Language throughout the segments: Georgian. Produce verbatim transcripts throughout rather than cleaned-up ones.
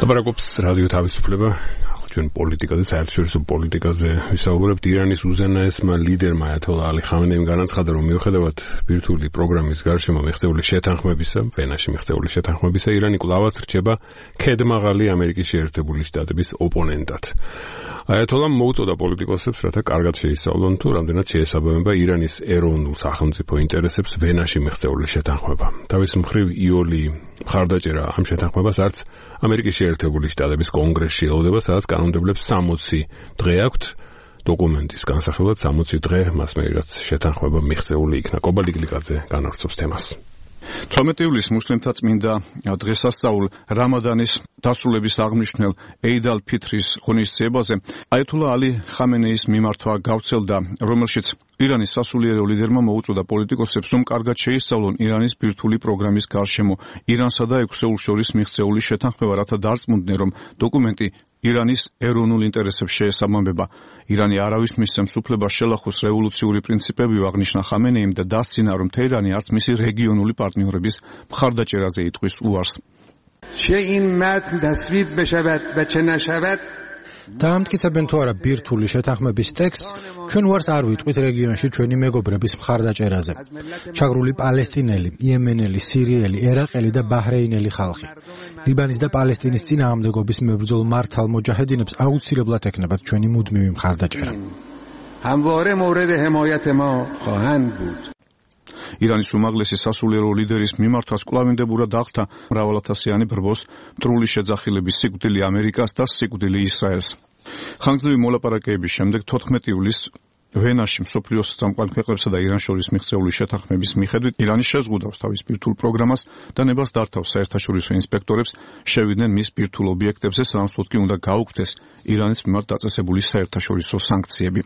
ლაპარაკობს რადიო თავისუფლება, ჩვენ პოლიტიკაზე, საერთაშორისო პოლიტიკაზე ვისაუბრებთ. ირანის უზენაესმა ლიდერმა აიათოლა ალი ხამენეიმ განაცხადა, რომ მიუხედავად ბირთვული პროგრამის გარშემო მიღწეული შეთანხმებისა, ვენაში მიღწეული შეთანხმებისა, ირანი კვლავაც რჩება ქედმაღალი ამერიკის შეერთებული შტატების ოპონენტად. აიათოლამ მოუწოდა პოლიტიკოსებს, რათა კარგად შეისწავლონ თუ რამდენად შეესაბამება ირანის ეროვნულ სახელმწიფო ინტერესებს ვენაში მიღწეული შეთანხმება. თავის მხრივ იოლი მხარდაჭერა ამ შეთანხმებას არც ამერიკის შეერთებული შტატების კონგრესში ელოდება, სადაც კანონმდებლებს სამოცი დღე აქვთ დოკუმენტის განსახილვად, სამოცი დღე მას მე რაც შეთანხმება მიღწეული იქნა. კობალი გლიკაძე განავრცობს თემას. თორმეტი ივლისს მუსლიმთა წმინდა დღესასწაულ რამადანის დასრულების აღნიშნულ ეიდ ალ-ფიტრის ღონისძიებაზე აიათოლა ალი ხამენეის მიმართვა გავრცელდა, რომელშიც ირანის სასულიერო ლიდერმა მოუწოდა პოლიტიკოსებს, რომ კარგად შეისწავლონ ირანის ბირთვული პროგრამის გარშემო ირანსა და ექვსეულს შორის მიღწეული შეთანხმება, რათა დარწმუნდნენ, რომ დოკუმენტი ირანის ეროვნულ ინტერესებს შეესაბამება. ირანი არავის მისცემს უფლებას შელახოს რევოლუციური პრინციპები, აღნიშნა ხამენეიმ და დასცინა, რომ თეირანი არც მისი რეგიონული პარტნიორების მხარდაჭერაზე იტყვის უარს. چه این متن تصویب بشود و چه نشود დაამტკიცებენ თუ არა ბირთვული შეთანხმების ტექსტს, ჩვენ უარს არ ვიტყვით რეგიონში ჩვენი მეგობრების მხარდაჭერაზე. ჩაგრული პალესტინელი, იემენელი, სირიელი, ერაყელი და ბაჰრეინელი ხალხი. ლიბანის და პალესტინის წინააღმდეგობის მებრძოლ მართალ მოჯაჰედინებს აუცილებლად ეკნებათ ჩვენი მუდმივი მხარდაჭერა. همواره مورد حمایت ما خواهند بود. ირანის უმაღლესი სასულიერო ლიდერის მიმართვას კვლავინდებურად აღთა მრავალათასიანი ბრბოს, მტრული შეძახილების სიკვდილი ამერიკას და სიკვდილი ისრაელს. ხანგრძლივი მოლაპარაკებების შემდეგ თოთხმეტი ივლისს ვენაში მსოფლიოს წამყვან ქვეყნებსა და ირანს შორის მიღწეული შეთანხმების მიხედვით ირანი შეზღუდავს თავის ბირთვულ პროგრამას და ნებას დართავს საერთაშორისო ინსპექტორებს შევიდნენ მის ბირთვულ ობიექტებზე, სანაცვლოდ კი უნდა გაუქმდეს ირანის მიმართ დაწესებული საერთაშორისო სანქციები.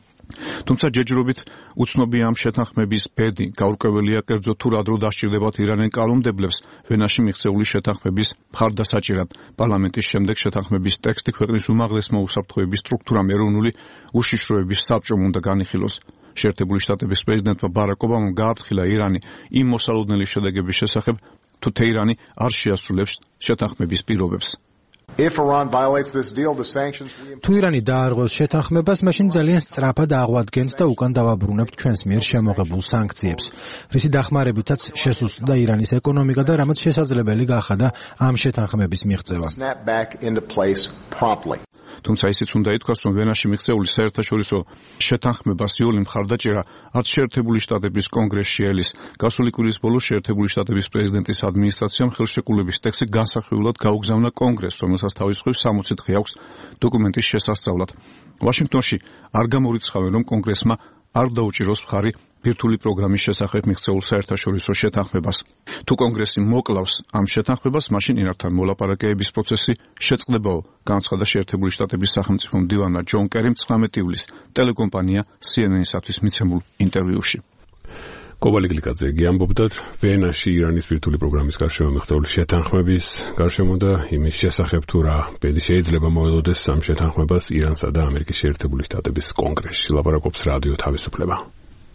თუმცა ჯერჯერობით უცნობია ამ შეთანხმების ბედი, გაურკვეველია კერძო თუ რა დრო დასჭირდებათ ირანენ კანონმდებლებს ვენაში მიღწეული შეთანხმების მხარდასაჭერად. პარლამენტის შემდეგ შეთანხმების ტექსტი ქვეყნის უმაღლესმა უსაფრთხოების სტრუქტურამ ეროვნული უშიშროების საბჭომ უნდა განიხილოს. შეერთებული შტატების პრეზიდენტმა ბარაკ ობამამ გააფრთხილა ირანი იმ მოსალოდნელი შედეგების შესახებ, თუ თეირანი არ შეასრულებს შეთანხმების პირობებს. If Iran violates this deal, the sanctions თუ ირანი დაარღვევს შეთანხმებას, მაშინ ძალიან სწრაფად აღვადგენთ და უკან დავაბრუნებთ ჩვენს მიერ შემოღებულ სანქციებს, რისი დახმარებითაც შესუსტდა ირანის ეკონომიკა და რამაც შესაძლებელი გახადა ამ შეთანხმების მიღწევა. თუმცა ისიც უნდა ითქვას, რომ ვენაში მიღწეული საერთაშორისო შეთანხმებას იოლი მხარდაჭერა არც შეერთებული შტატების კონგრესში ელის. გასული კვირის ბოლოს შეერთებული შტატების პრეზიდენტის ადმინისტრაციამ ხელშეკრულების ტექსტი განსახილველად გაუგზავნა კონგრესს, რომელსაც თავის მხრივ სამოცი დღე აქვს დოკუმენტის შესასწავლად. ვაშინგტონში არ გამორიცხავენ, რომ კონგრესმა არ დაუჭიროს მხარი ბირთვული პროგრამის შესახებ მიღწეულ საერთაშორისო შეთანხმებას. თუ კონგრესი მოკლავს ამ შეთანხმებას, მაშინ ირანთან მოლაპარაკებების პროცესი შეწყდებაო, განაცხადა შეერთებული შტატების სახელმწიფო მდივანმა ჯონ კერიმ ცხრამეტი ივლისს ტელეკომპანია სი ენ ენ-ისთვის მიცემულ ინტერვიუში. კობალი გლიკაძე გიამბობდათ ვენაში ირანის ბირთვული პროგრამის გარშემო მიღწეული შეთანხმების გარშემო და იმის შესახებ თუ რა ბედი შეიძლება მოელოდეს ამ შეთანხმებას ირანსა და ამერიკის შეერთებული შტატების კონგრესში. ლაპარაკობს რადიო თავისუფლება.